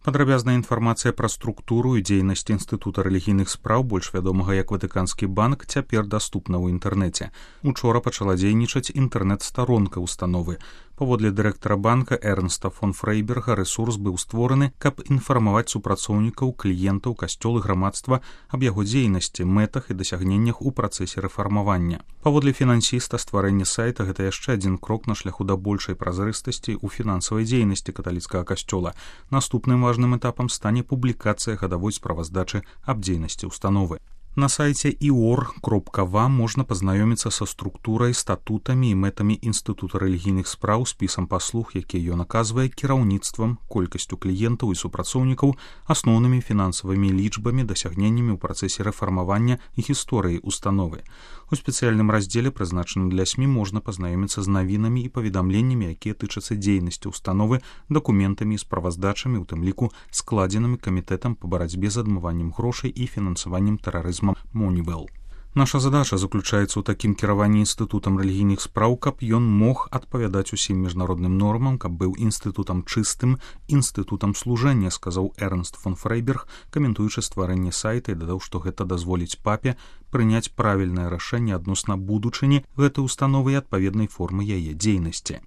Падрабязная інфармацыя пра структуру і дзейнасць Інстытута рэлігійных спраў, больш вядомага як Ватыканскі банк, цяпер даступна ў інтэрнэце. Учора пачала дзейнічаць інтэрнэт-старонка установы. Паводле дырэктара банка Эрнста фон Фрейберга рэсурс быў створаны, каб інфармаваць супрацоўнікаў, кліентаў, касцёл і грамадства аб яго дзейнасці, мэтах і дасягненнях у працэсе рэфармавання. Паводле фінансіста, стварэнне сайта гэта яшчэ адзін крок на шляху да большай празрыстасці ў фінансавай дзейнасці каталіцкага касцёла. Наступным важным этапам стане публікацыя гадавой справаздачы аб дзейнасці установы. На сайце ior.va можна пазнаёміцца са структурай, статутамі і мэтамі Інстытута рэлігійных спраў, спісам паслуг, які ён аказвае, кіраўніцтвам, колькасцю кліентаў і супрацоўнікаў, асноўнымі фінансавымі лічбамі, дасягненнямі ў працэсе рэфармавання і гісторыі установы. У спецыяльным раздзеле, прызначаным для СМІ, можна пазнаёміцца з навінамі і паведамленнямі, якія тычацца дзейнасці установы, дакументамі і справаздачамі, у тым ліку складзенымі камітэтам па барацьбе з адмываннем грошай і фінансаваннем тэрарызму Moneywell. Наша задача заключаецца ў такім кіраванні Інстытутам рэлігійных спраў, каб ён мог адпавядаць усім міжнародным нормам, каб быў інстытутам чыстым, інстытутам служэння, сказаў Эрнст фон Фрейберг, каментуючы стварэнне сайта, і дадаў, што гэта дазволіць папе прыняць правільнае рашэнне адносна будучыні гэтай установы і адпаведнай формы яе дзейнасці.